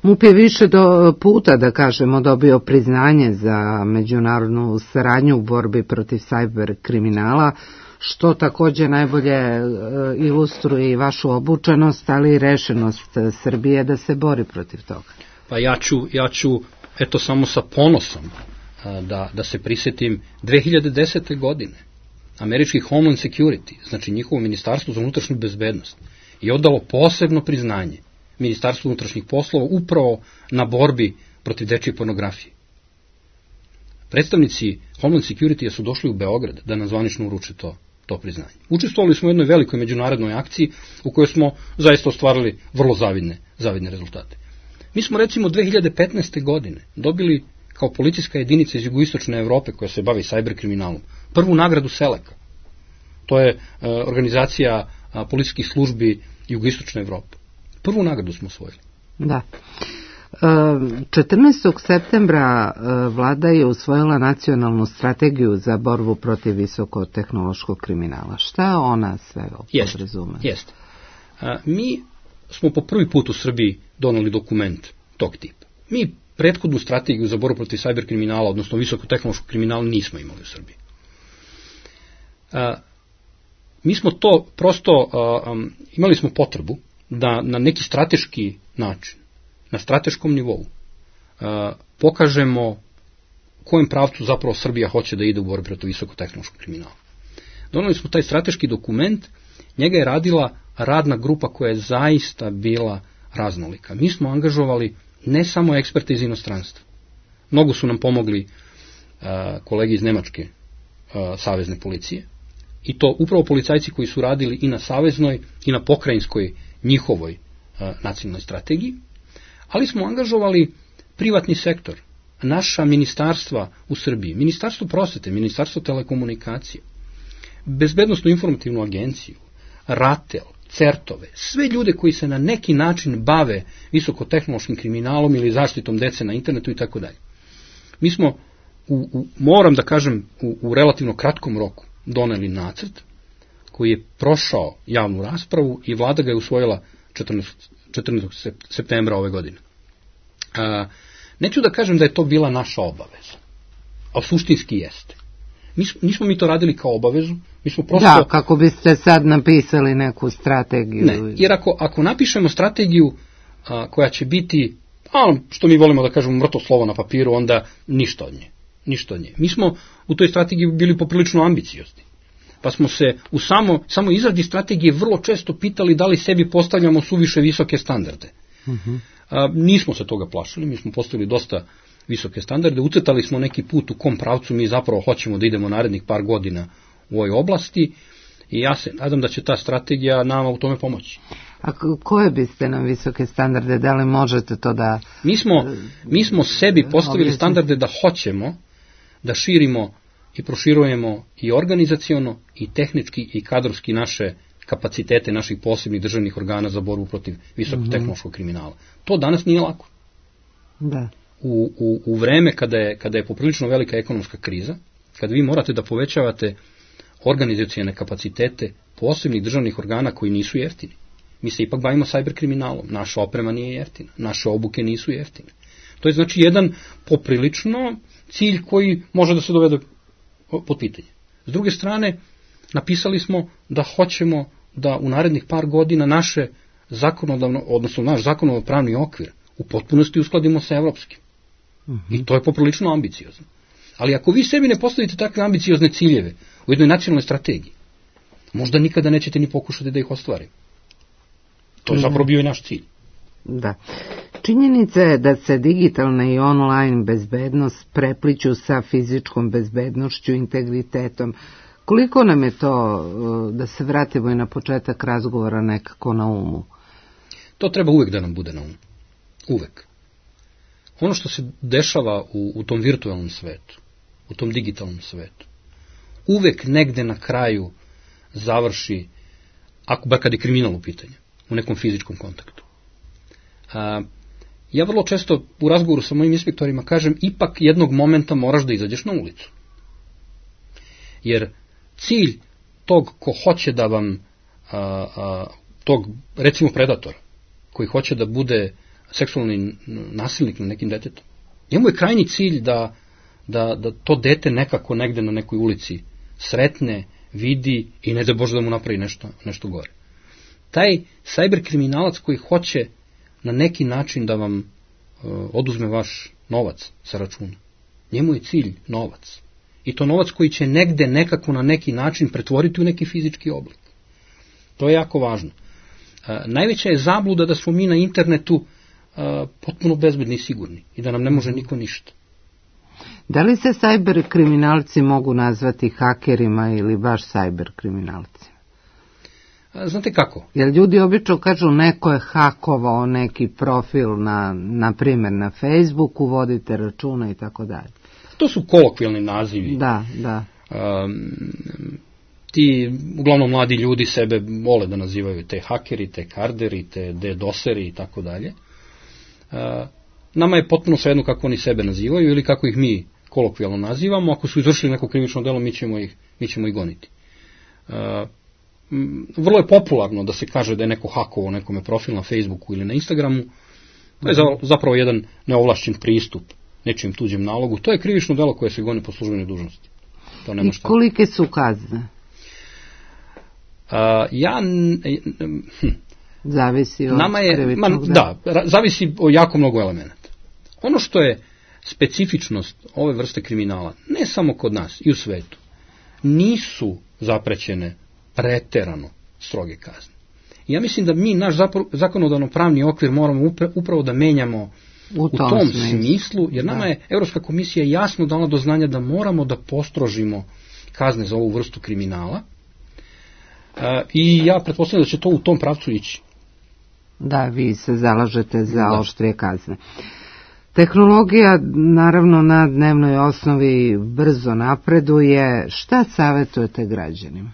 MUP je više do puta, da kažemo, dobio priznanje za međunarodnu saradnju u borbi protiv sajber kriminala, što također najbolje ilustruje i vašu obučenost, ali i rešenost Srbije da se bori protiv toga. Pa ja ću, ja ću eto samo sa ponosom da, da se prisjetim dve hiljade desete. godine. Američki Homeland Security, znači njihovo ministarstvo za unutrašnju bezbednost, je odalo posebno priznanje Ministarstvo unutrašnjih poslova upravo na borbi protiv dečje pornografije. Predstavnici Homeland Security su došli u Beograd da nam zvanično uruče to, to priznanje. Učestvovali smo u jednoj velikoj međunarodnoj akciji u kojoj smo zaista ostvarili vrlo zavidne, zavidne rezultate. Mi smo recimo dve hiljade petnaeste. godine dobili kao policijska jedinica iz jugoistočne Evrope koja se bavi sajber kriminalom prvu nagradu Seleka. To je uh, organizacija uh, policijskih službi jugoistočne Evrope. Prvu nagradu smo osvojili. Da. četrnaestog septembra vlada je usvojila nacionalnu strategiju za borbu protiv visokotehnološkog kriminala. Šta ona sve podrazume? Jeste. Mi smo po prvi put u Srbiji doneli dokument tog tipa. Mi prethodnu strategiju za borbu protiv sajber kriminala, odnosno visokotehnološkog kriminala, nismo imali u Srbiji. Mi smo to prosto, imali smo potrebu da na neki strateški način, na strateškom nivou, pokažemo u kojem pravcu zapravo Srbija hoće da ide u borbi protiv visokotehnološkog kriminala. Doneli smo taj strateški dokument, njega je radila radna grupa koja je zaista bila raznolika. Mi smo angažovali ne samo eksperte iz inostranstva. Mnogo su nam pomogli kolege iz Nemačke savezne policije, i to upravo policajci koji su radili i na saveznoj i na pokrajinskoj njihovoj nacionalnoj strategiji, ali smo angažovali privatni sektor, naša ministarstva u Srbiji, ministarstvo prosvete, ministarstvo telekomunikacije, bezbednosnu informativnu agenciju, RATEL, CERTove, sve ljude koji se na neki način bave visokotehnološkim kriminalom ili zaštitom dece na internetu i tako dalje. Mi smo, u, u, moram da kažem, u, u relativno kratkom roku doneli nacrt koji je prošao javnu raspravu i vlada ga je usvojila četrnaestog septembra ove godine. A, neću da kažem da je to bila naša obaveza, a suštinski jeste. Nismo, nismo mi to radili kao obavezu, mi smo prosto... Da, kako biste sad napisali neku strategiju. Ne, jer ako, ako napišemo strategiju a, koja će biti, a, što mi volimo da kažemo, mrtvo slovo na papiru, onda ništa od nje. Ništa od nje. Mi smo u toj strategiji bili poprilično ambiciozni. Pa smo se u samo, samo izradi strategije vrlo često pitali da li sebi postavljamo suviše visoke standarde. Uh-huh. A, nismo se toga plašili, mi smo postavili dosta visoke standarde, ucrtali smo neki put u kom pravcu mi zapravo hoćemo da idemo narednih par godina u ovoj oblasti i ja se nadam da će ta strategija nama u tome pomoći. A koje biste nam visoke standarde, da li možete to da... Mi smo, mi smo sebi postavili standarde da hoćemo da širimo i proširujemo i organizaciono, i tehnički, i kadrovski naše kapacitete naših posebnih državnih organa za borbu protiv visokotehnološkog kriminala. To danas nije lako. Da. U, u, u vreme kada je, kada je poprilično velika ekonomska kriza, kada vi morate da povećavate organizacione kapacitete posebnih državnih organa koji nisu jeftini. Mi se ipak bavimo cyber kriminalom, naša oprema nije jeftina, naše obuke nisu jeftine. To je znači jedan poprilično cilj koji može da se dovede pod pitanje. S druge strane, napisali smo da hoćemo da u narednih par godina naše zakonodavno, odnosno naš zakonodavno pravni okvir u potpunosti uskladimo sa evropskim. Uh-huh. I to je poprilično ambiciozno. Ali ako vi sebi ne postavite takve ambiciozne ciljeve u jednoj nacionalnoj strategiji, možda nikada nećete ni pokušati da ih ostvarite. To je zapravo bio i naš cilj. Da. Činjenica je da se digitalna i online bezbednost prepliću sa fizičkom bezbednošću, integritetom. Koliko nam je to, da se vratimo i na početak razgovora, nekako na umu? To treba uvek da nam bude na umu. Uvek. Ono što se dešava u, u tom virtualnom svetu, u tom digitalnom svetu, uvek negde na kraju završi, ako bar kad je kriminal u pitanju, u nekom fizičkom kontaktu. A, ja vrlo često u razgovoru sa mojim inspektorima kažem, ipak jednog momenta moraš da izađeš na ulicu. Jer cilj tog ko hoće da vam, a, a, tog recimo predatora, koji hoće da bude seksualni nasilnik na nekim detetom, njemu je krajnji cilj da, da, da to dete nekako negde na nekoj ulici sretne, vidi i ne da Bože da mu napravi nešto, nešto gore. Taj cyber kriminalac koji hoće na neki način da vam uh, oduzme vaš novac sa računa, njemu je cilj novac. I to novac koji će negde nekako na neki način pretvoriti u neki fizički oblik. To je jako važno. Uh, najveća je zabluda da smo mi na internetu uh, potpuno bezbedni i sigurni i da nam ne može niko ništa. Da li se cyber kriminalci mogu nazvati hakerima ili baš cyber kriminalci? Znate kako? Jer ljudi obično kažu neko je hakovao neki profil na, na primjer na Facebooku, vodite računa i tako dalje. To su kolokvijalni nazivi. Da, da. Um, ti, uglavnom mladi ljudi sebe vole da nazivaju te hakeri, te karderi, te dedoseri i tako dalje. Uh, nama je potpuno svejedno kako oni sebe nazivaju ili kako ih mi kolokvijalno nazivamo. Ako su izvršili neko krivično delo, mi ćemo ih, mi ćemo ih goniti. Uh, vrlo je popularno da se kaže da je neko hakovao nekome profil na Facebooku ili na Instagramu. To je zapravo jedan neovlašćen pristup nečijem tuđem nalogu. To je krivično delo koje se goni po službenoj dužnosti. To nema šta. I kolike su kazne? Uh, ja... Hm, zavisi od nama je, krivičnog dela. Da, zavisi o jako mnogo elemenata. Ono što je specifičnost ove vrste kriminala, ne samo kod nas i u svetu, nisu zaprećene preterano stroge kazne. Ja mislim da mi naš zakonodavno pravni okvir moramo upravo da menjamo u, u tom, tom smislu, jer nama da. je Evropska komisija jasno dala do znanja da moramo da postrožimo kazne za ovu vrstu kriminala uh, i ja pretpostavljam da će to u tom pravcu ići. Da, vi se zalažete za da. oštrije kazne. Tehnologija, naravno, na dnevnoj osnovi brzo napreduje. Šta savjetujete građanima?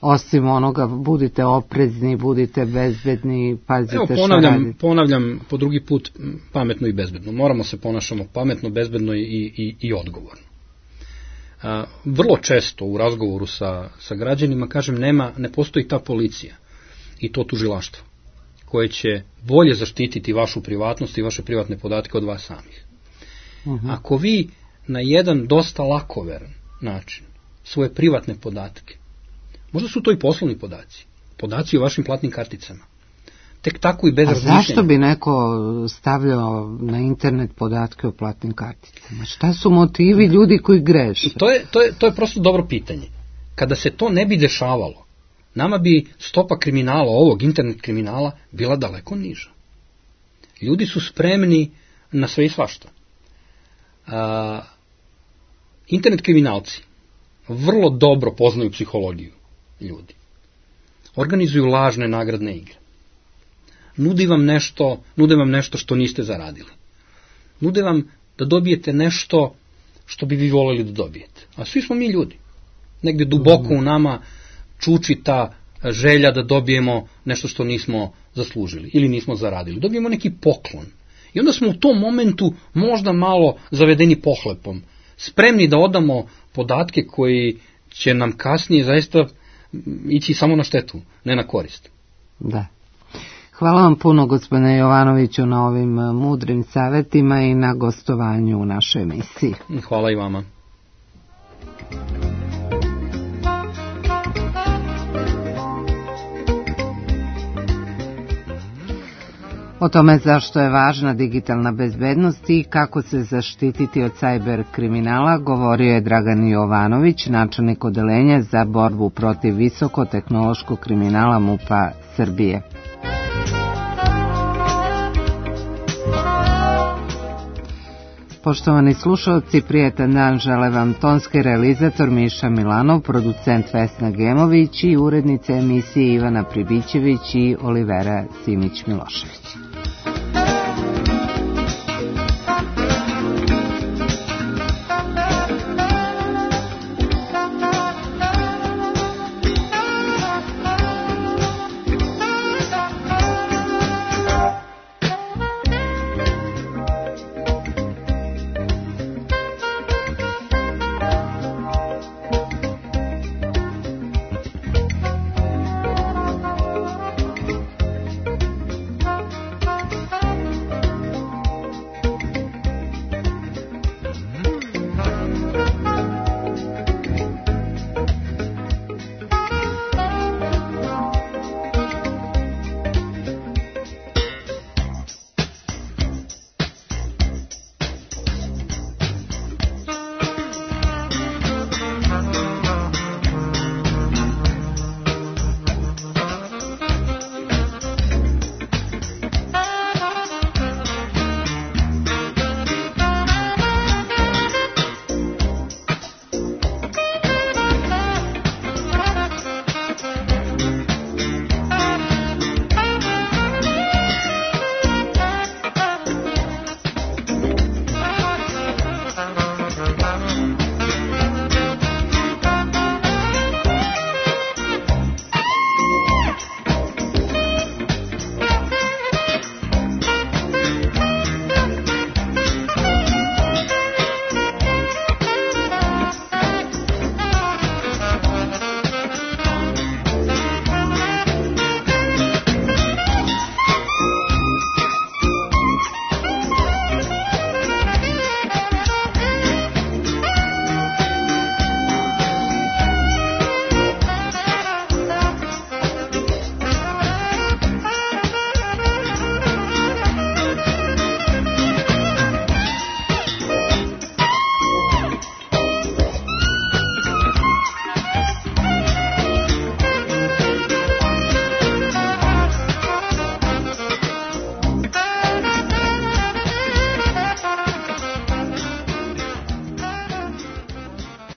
Osim onoga, budite oprezni, budite bezbedni, pazite Evo, ponavljam, šta radite. Ponavljam po drugi put pametno i bezbedno. Moramo se ponašamo pametno, bezbedno i, i, i odgovorno. A, vrlo često u razgovoru sa, sa građanima, kažem, nema, ne postoji ta policija i to tužilaštvo koje će bolje zaštititi vašu privatnost i vaše privatne podatke od vas samih. Uh-huh. Ako vi na jedan dosta lakoveran način svoje privatne podatke, možda su to i poslovni podaci, podaci o vašim platnim karticama, tek tako i bez razmišljenja. A zašto bi neko stavljao na internet podatke o platnim karticama? Šta su motivi ljudi koji greše? To je, to je, to je prosto dobro pitanje. Kada se to ne bi dešavalo, nama bi stopa kriminala, ovog internet kriminala, bila daleko niža. Ljudi su spremni na sve i svašta. A, internet kriminalci vrlo dobro poznaju psihologiju ljudi. Organizuju lažne nagradne igre. Nudi vam nešto, nude vam nešto što niste zaradili. Nude vam da dobijete nešto što bi vi voleli da dobijete. A svi smo mi ljudi. Negde duboko u nama čuči ta želja da dobijemo nešto što nismo zaslužili ili nismo zaradili. Dobijemo neki poklon. I onda smo u tom momentu možda malo zavedeni pohlepom. Spremni da odamo podatke koji će nam kasnije zaista ići samo na štetu, ne na korist. Da. Hvala vam puno, gospodine Jovanoviću, na ovim mudrim savjetima i na gostovanju u našoj emisiji. Hvala i vama. O tome zašto je važna digitalna bezbednost i kako se zaštititi od sajber kriminala govorio je Dragan Jovanović, načelnik odeljenja za borbu protiv visokotehnološkog kriminala MUP-a Srbije. Poštovani slušalci, prijetan dan žele vam tonski realizator Miša Milanov, producent Vesna Gemović i urednice emisije Ivana Pribićević i Olivera Simić-Milošević.